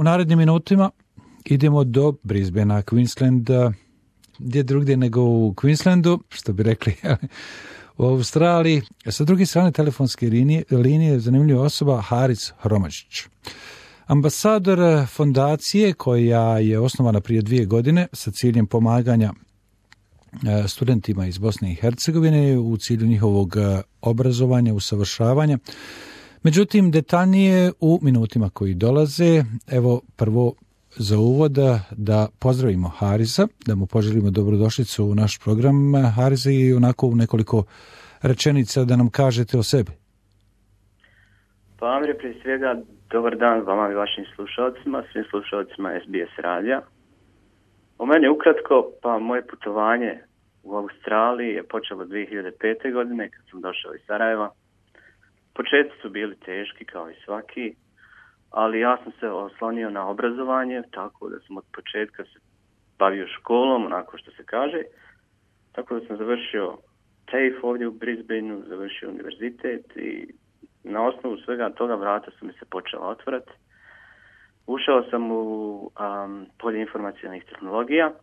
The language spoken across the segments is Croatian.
U narednim minutima idemo do Brisbanea, Queensland, gdje drugdje nego u Queenslandu, što bi rekli u Australiji. Sa druge strane telefonske linije zanimljiva osoba Haris Hromažić. Ambasador fondacije koja je osnovana prije 2 godine sa ciljem pomaganja studentima iz Bosne i Hercegovine u cilju njihovog obrazovanja, usavršavanja. Međutim, detaljnije u minutima koji dolaze. Evo prvo za uvod da pozdravimo Harisa, da mu poželimo dobrodošlicu u naš program. Harisa, i onako u nekoliko rečenica da nam kažete o sebi. Pa Amir, prije svega dobar dan vama i vašim slušalcima, svim slušalcima SBS radija. O meni ukratko, pa moje putovanje u Australiji je počelo 2005. godine kad sam došao iz Sarajeva. Početci su bili teški kao i svaki, ali ja sam se oslonio na obrazovanje, tako da sam od početka se bavio školom, onako što se kaže. Tako da sam završio TAFE ovdje u Brisbaneu, završio univerzitet i na osnovu svega toga vrata su mi se počela otvarati. Ušao sam u polje informacionalnih tehnologija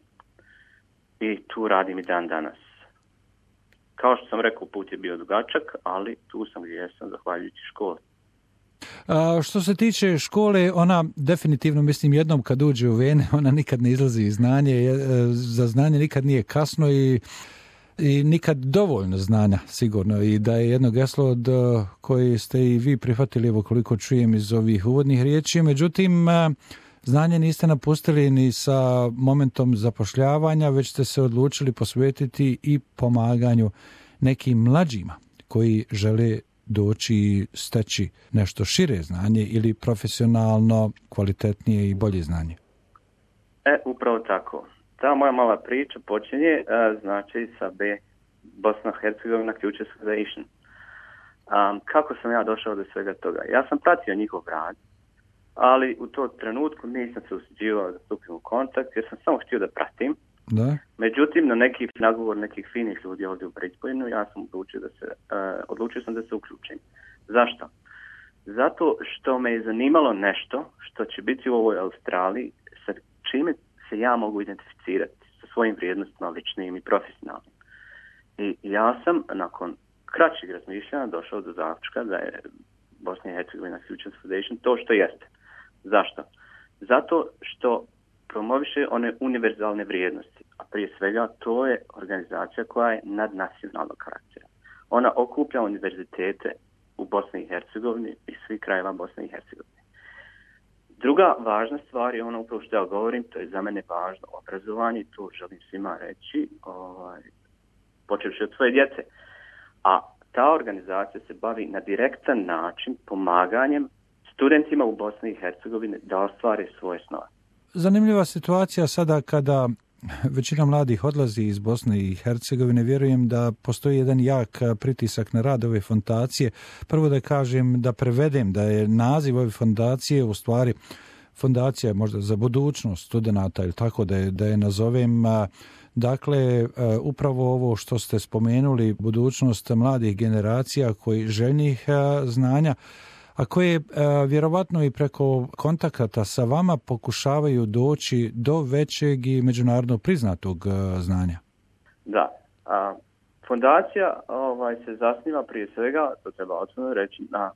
i tu radim i dan danas. Kao što sam rekao, put je bio dugačak, ali tu sam gdje jesam zahvaljujući školi. Što se tiče škole, ona definitivno, mislim, jednom kad uđe u vene, ona nikad ne izlazi iz znanje. Za znanje nikad nije kasno i nikad dovoljno znanja, sigurno. I da je jedno geslo od koje ste i vi prihvatili, evo koliko čujem iz ovih uvodnih riječi. Međutim, znanje niste napustili ni sa momentom zapošljavanja, već ste se odlučili posvetiti i pomaganju nekim mlađima koji žele doći i steći nešto šire znanje ili profesionalno kvalitetnije i bolje znanje. Upravo tako. Ta moja mala priča počinje znači sa Bosna i Hercegovina Futures Foundation. Kako sam ja došao do svega toga? Ja sam pratio njihov rad, ali u tom trenutku nisam se usuđivao da stupim u kontakt jer sam samo htio da pratim. Da. Međutim, na neki nagovor nekih finih ljudi ovdje u Brisbaneu ja sam odlučio sam da se uključim. Zašto? Zato što me je zanimalo nešto što će biti u ovoj Australiji sa čime se ja mogu identificirati sa svojim vrijednostima ličnim i profesionalnim. I ja sam nakon kraćeg razmišljanja došao do zaključka da je Bosna i Hercegovina Futures Foundation to što jeste. Zašto? Zato što promoviše one univerzalne vrijednosti, a prije svega to je organizacija koja je nadnacionalnog karaktera. Ona okuplja univerzitete u Bosni i Hercegovini i svih krajeva Bosne i Hercegovine. Druga važna stvar je ono upravo što ja govorim, to je za mene važno obrazovanje, to želim svima reći, počevši od svoje djece. A ta organizacija se bavi na direktan način pomaganjem studentima u Bosni i Hercegovini da ostvare svoje snove. Zanimljiva situacija sada kada većina mladih odlazi iz Bosne i Hercegovine. Vjerujem da postoji jedan jak pritisak na rad ove fondacije. Prvo da kažem, da prevedem da je naziv ove fondacije u stvari fondacija možda za budućnost studenata ili tako da je nazovem. Dakle, upravo ovo što ste spomenuli, budućnost mladih generacija koji željnih znanja, a koje vjerovatno i preko kontakata sa vama pokušavaju doći do većeg i međunarodno priznatog znanja. Da, fondacija se zasniva prije svega, to treba otvoreno reći, na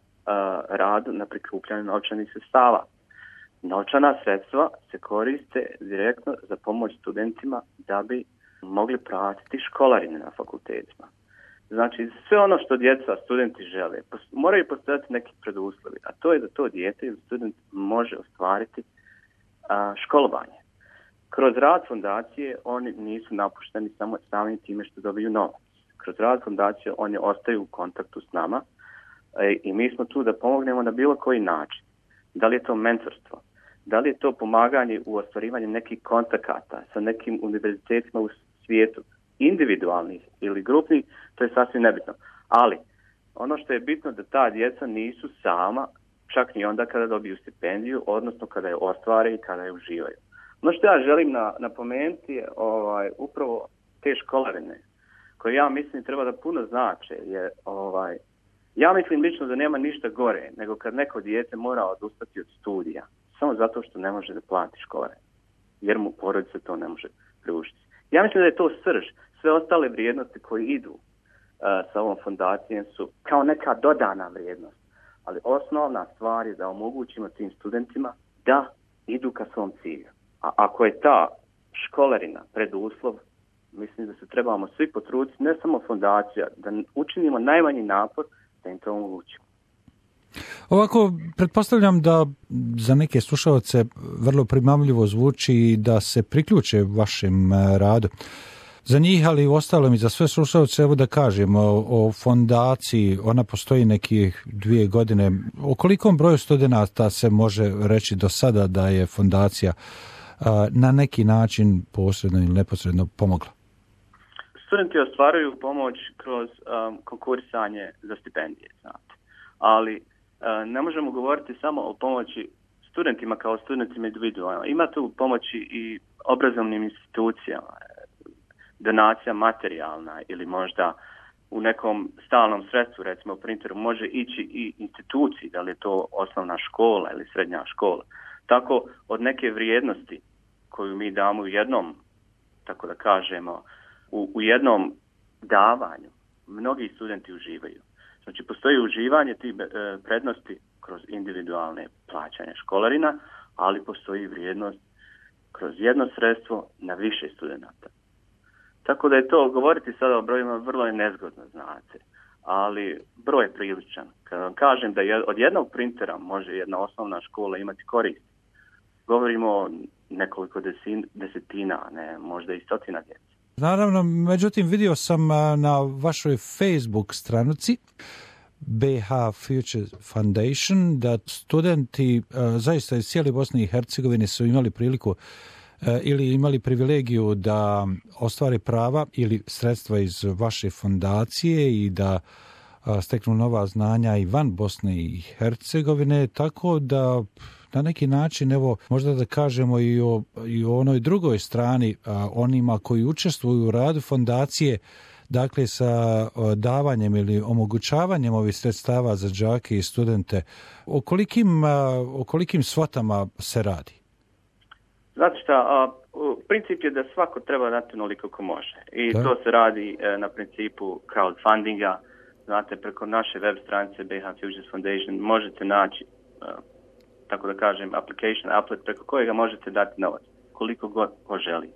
radu na prikupljanju novčanih sredstava. Novčana sredstva se koriste direktno za pomoć studentima da bi mogli platiti školarine na fakultetima. Znači, sve ono što djeca, studenti žele, moraju postojati neki preduslovi, a to je da to dijete ili student može ostvariti školovanje. Kroz rad fondacije oni nisu napušteni samo samim time što dobiju novac. Kroz rad fondacije oni ostaju u kontaktu s nama i mi smo tu da pomognemo na bilo koji način. Da li je to mentorstvo, da li je to pomaganje u ostvarivanju nekih kontakata sa nekim univerzitetima u svijetu, individualnih ili grupnih, to je sasvim nebitno. Ali ono što je bitno da ta djeca nisu sama, čak ni onda kada dobiju stipendiju, odnosno kada je ostvare i kada je uživaju. Ono što ja želim napomenuti je upravo te školarine, koje ja mislim treba da puno znače. Ja mislim lično da nema ništa gore nego kad neko dijete mora odustati od studija samo zato što ne može da plati školarinu, jer mu porodica to ne može priuštiti. Ja mislim da je to srž. Sve ostale vrijednosti koje idu sa ovom fondacijom su kao neka dodana vrijednost. Ali osnovna stvar je da omogućimo tim studentima da idu ka svom cilju. A ako je ta školarina preduslov, mislim da se trebamo svi potruditi, ne samo fondacija, da učinimo najmanji napor da im to omogućimo. Ovako, pretpostavljam da za neke slušalce vrlo primamljivo zvuči da se priključe vašem radu. Za njih, ali i ostalom i za sve slušalce, evo da kažem o fondaciji, ona postoji nekih 2 godine. O kolikom broju studenata se može reći do sada da je fondacija na neki način posredno ili neposredno pomogla? Studenti ostvaruju pomoć kroz konkurisanje za stipendije, znate. Ali ne možemo govoriti samo o pomoći studentima kao studentima individualno. Ima tu pomoći i obrazovnim institucijama, donacija materijalna ili možda u nekom stalnom sredstvu, recimo printeru, može ići i instituciji, da li je to osnovna škola ili srednja škola. Tako od neke vrijednosti koju mi damo u jednom, tako da kažemo, u jednom davanju, mnogi studenti uživaju. Znači, postoji uživanje tih prednosti kroz individualne plaćanje školarina, ali postoji vrijednost kroz jedno sredstvo na više studenata. Tako da je to, govoriti sada o brojima, vrlo je nezgodno, znate, ali broj je priličan. Kad vam kažem da od jednog printera može jedna osnovna škola imati korist, govorimo o nekoliko desetina, ne, možda i stotina djece. Naravno, međutim, vidio sam na vašoj Facebook stranici BH Future Foundation da studenti zaista iz cijele Bosne i Hercegovine su imali priliku ili imali privilegiju da ostvari prava ili sredstva iz vaše fondacije i da steknu nova znanja i van Bosne i Hercegovine, tako da na neki način, evo, možda da kažemo i o onoj drugoj strani, onima koji učestvuju u radu fondacije, dakle sa davanjem ili omogućavanjem ovih sredstava za đake i studente, o kolikim svotama se radi? Znate šta, princip je da svako treba dati onoliko ko može. I to se radi na principu crowdfundinga. Znate, preko naše web stranice BH Futures Foundation možete naći, tako da kažem, applet preko kojega možete dati novac, koliko god ko želi.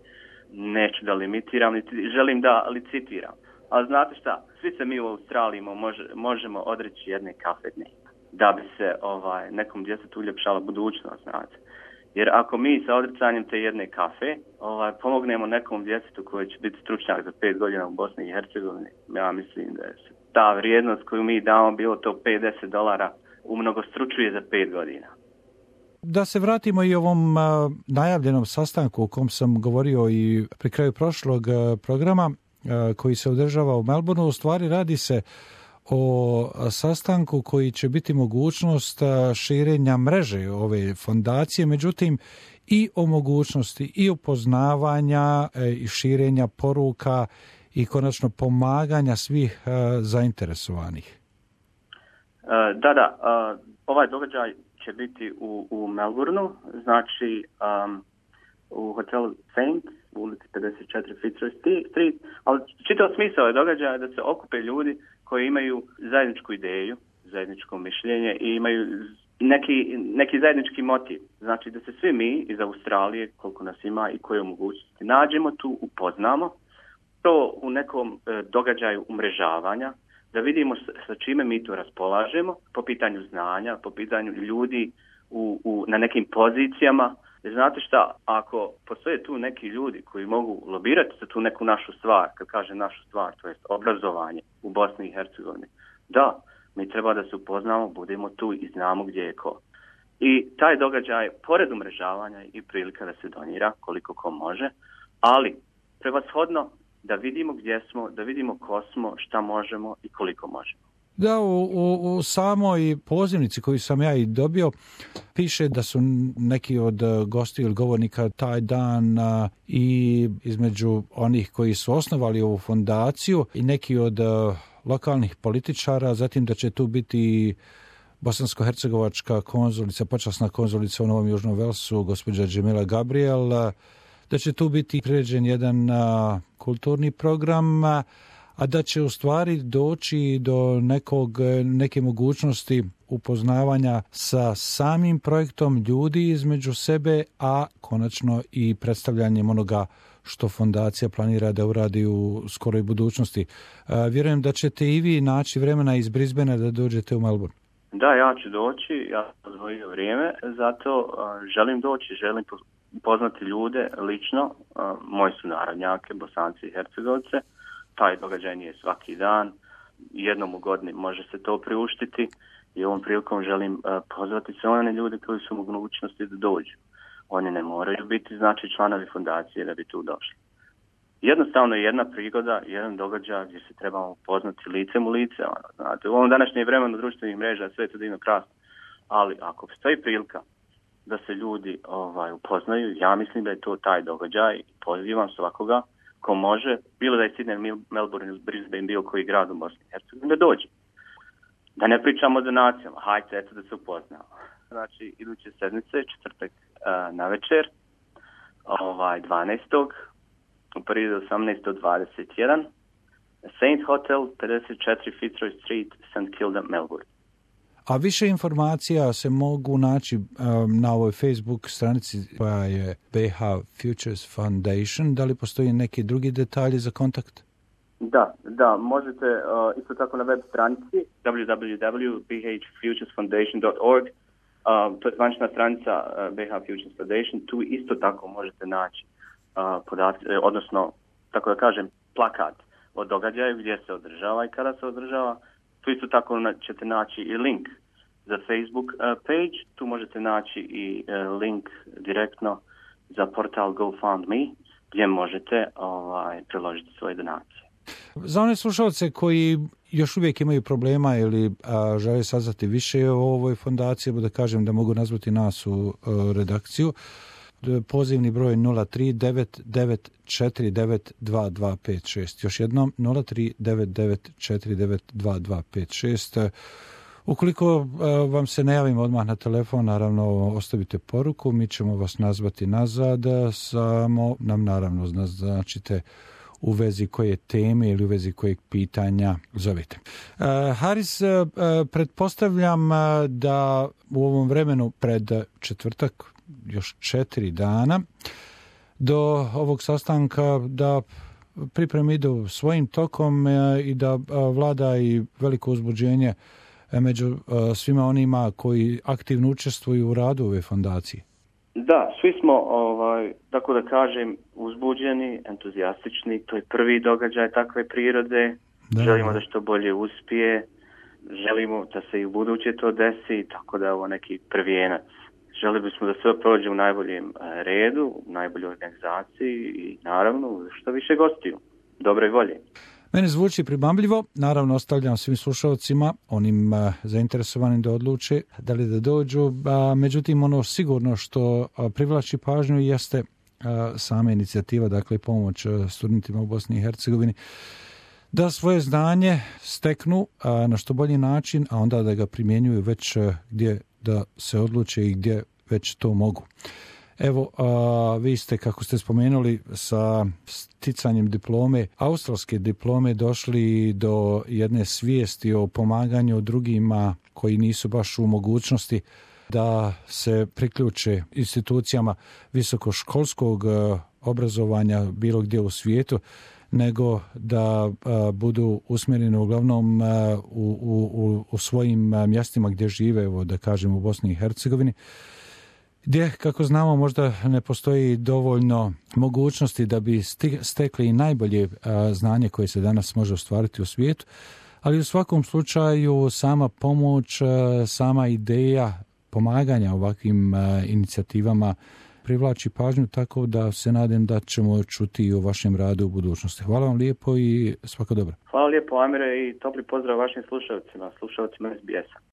Neću da limitiram, želim da licitiram. Ali znate šta, svi se mi u Australiji možemo odreći jedne kafe dnevno, da bi se nekom djetetu uljepšala budućnost, znate. Jer ako mi sa odricanjem te jedne kafe pomognemo nekom djetetu koji će biti stručnjak za 5 godina u Bosni i Hercegovini, ja mislim da je ta vrijednost koju mi damo, bilo to $50, umnogostručuje za 5 godina. Da se vratimo i ovom najavljenom sastanku o kom sam govorio i pri kraju prošlog programa koji se održava u Melbourneu, u stvari radi se o sastanku koji će biti mogućnost širenja mreže ove fondacije, međutim i o mogućnosti i upoznavanja i širenja poruka i konačno pomaganja svih zainteresovanih. Da, ovaj događaj će biti u Melbourneu, znači u hotelu Saint, u ulici 54 Fitzroy Street, ali čitav smisao je događaja da se okupe ljudi koji imaju zajedničku ideju, zajedničko mišljenje i imaju neki zajednički motiv. Znači da se svi mi iz Australije, koliko nas ima i koje mogućnosti, nađemo tu, upoznamo to u nekom događaju umrežavanja, da vidimo sa čime mi to raspolažemo po pitanju znanja, po pitanju ljudi na nekim pozicijama. Jer znate šta, ako postoje tu neki ljudi koji mogu lobirati za tu neku našu stvar, kad kažem našu stvar, to jest obrazovanje u Bosni i Hercegovini, da, mi treba da se upoznamo, budemo tu i znamo gdje je ko. I taj događaj, pored umrežavanja, i prilika da se donira koliko ko može, ali prevashodno da vidimo gdje smo, da vidimo ko smo, šta možemo i koliko možemo. Da, u samoj pozivnici koju sam ja i dobio piše da su neki od gostiju ili govornika taj dan i između onih koji su osnovali ovu fondaciju i neki od lokalnih političara, zatim da će tu biti bosansko-hercegovačka konzulica, počasna konzulica u Novom Južnom Velsu, gospođa Džemila Gabriel, da će tu biti priređen jedan kulturni program, a da će u stvari doći do neke mogućnosti upoznavanja sa samim projektom ljudi između sebe, a konačno i predstavljanjem onoga što fondacija planira da uradi u skoroj budućnosti. Vjerujem da ćete i vi naći vremena iz Brisbanea da dođete u Melbourne. Da, ja ću doći, ja sam odvojio vrijeme, zato želim doći, želim poznati ljude lično, moji su narodnjake, Bosanci i Hercegovce. Taj događaj nije svaki dan, jednom u godini može se to priuštiti i ovom prilikom želim pozvati sve one ljude koji su u mogućnosti da dođu. Oni ne moraju biti članovi fondacije da bi tu došli. Jednostavno jedna prigoda, jedan događaj gdje se trebamo poznati licem u lice. Znate, u ovom današnjem vremenu društvenih mreža sve je to divno krasno, ali ako postoji prilika da se ljudi upoznaju, ja mislim da je to taj događaj. Pozivam svakoga ko može, bilo da je Sydney, Melbourne ili Brisbane, bilo koji grad u Bosni i Hercegovini, da dođe. Da ne pričamo o donacijama, hajde eto da se upoznamo. Znači, iduće sedmice, četvrtak na večer, 12. u periodu 18 do 21, Saint Hotel, 54 Fitzroy Street, St. Kilda, Melbourne. A više informacija se mogu naći na ovoj Facebook stranici koja je BH Futures Foundation. Da li postoji neki drugi detalji za kontakt? Da, možete isto tako na web stranici www.bhfuturesfoundation.org. To je zvanična stranica BH Futures Foundation. Tu isto tako možete naći odnosno, tako da kažem, plakat o događaju gdje se održava i kada se održava. Tu isto tako ćete naći i link za Facebook page. Tu možete naći i link direktno za portal GoFundMe gdje možete priložiti svoje donacije. Za one slušalce koji još uvijek imaju problema ili žele saznati više o ovoj fondaciji, da kažem da mogu nazvati nas u redakciju. Pozivni broj 0399492256. Još jednom 0399492256. Ukoliko vam se ne javimo odmah na telefon, naravno ostavite poruku, mi ćemo vas nazvati nazad, samo nam naravno naznačite u vezi koje teme ili u vezi kojeg pitanja zovete. Haris, pretpostavljam da u ovom vremenu pred četvrtak, još 4 dana, do ovog sastanka da pripreme idu svojim tokom i da vlada i veliko uzbuđenje među svima onima koji aktivno učestvuju u radu ove fondacije. Da, svi smo, tako da kažem, uzbuđeni, entuzijastični. To je prvi događaj takve prirode. Želimo da što bolje uspije. Želimo da se i u buduće to desi, tako da je ovo neki prvijenac. Želi bismo da sve prođe u najboljem redu, u najboljoj organizaciji i naravno što više gostiju. Dobre volje. Mene zvuči pribamljivo, naravno ostavljam svim slušalcima, onim zainteresovanim da odluče da li da dođu, međutim ono sigurno što privlači pažnju jeste sama inicijativa, dakle pomoć studentima u Bosni i Hercegovini, da svoje znanje steknu na što bolji način, a onda da ga primjenjuju već gdje da se odluče i gdje već to mogu. Evo, vi ste, kako ste spomenuli, sa sticanjem diplome, australske diplome, došli do jedne svijesti o pomaganju drugima koji nisu baš u mogućnosti da se priključe institucijama visokoškolskog obrazovanja bilo gdje u svijetu, nego da budu usmjereni uglavnom u svojim mjestima gdje žive, evo da kažem u Bosni i Hercegovini, gdje, kako znamo, možda ne postoji dovoljno mogućnosti da bi stekli i najbolje znanje koje se danas može ostvariti u svijetu, ali u svakom slučaju sama pomoć, sama ideja pomaganja ovakvim inicijativama privlači pažnju, tako da se nadam da ćemo čuti i o vašem radu u budućnosti. Hvala vam lijepo i svako dobro. Hvala lijepo, Amire, i topli pozdrav vašim slušalcima SBS-a.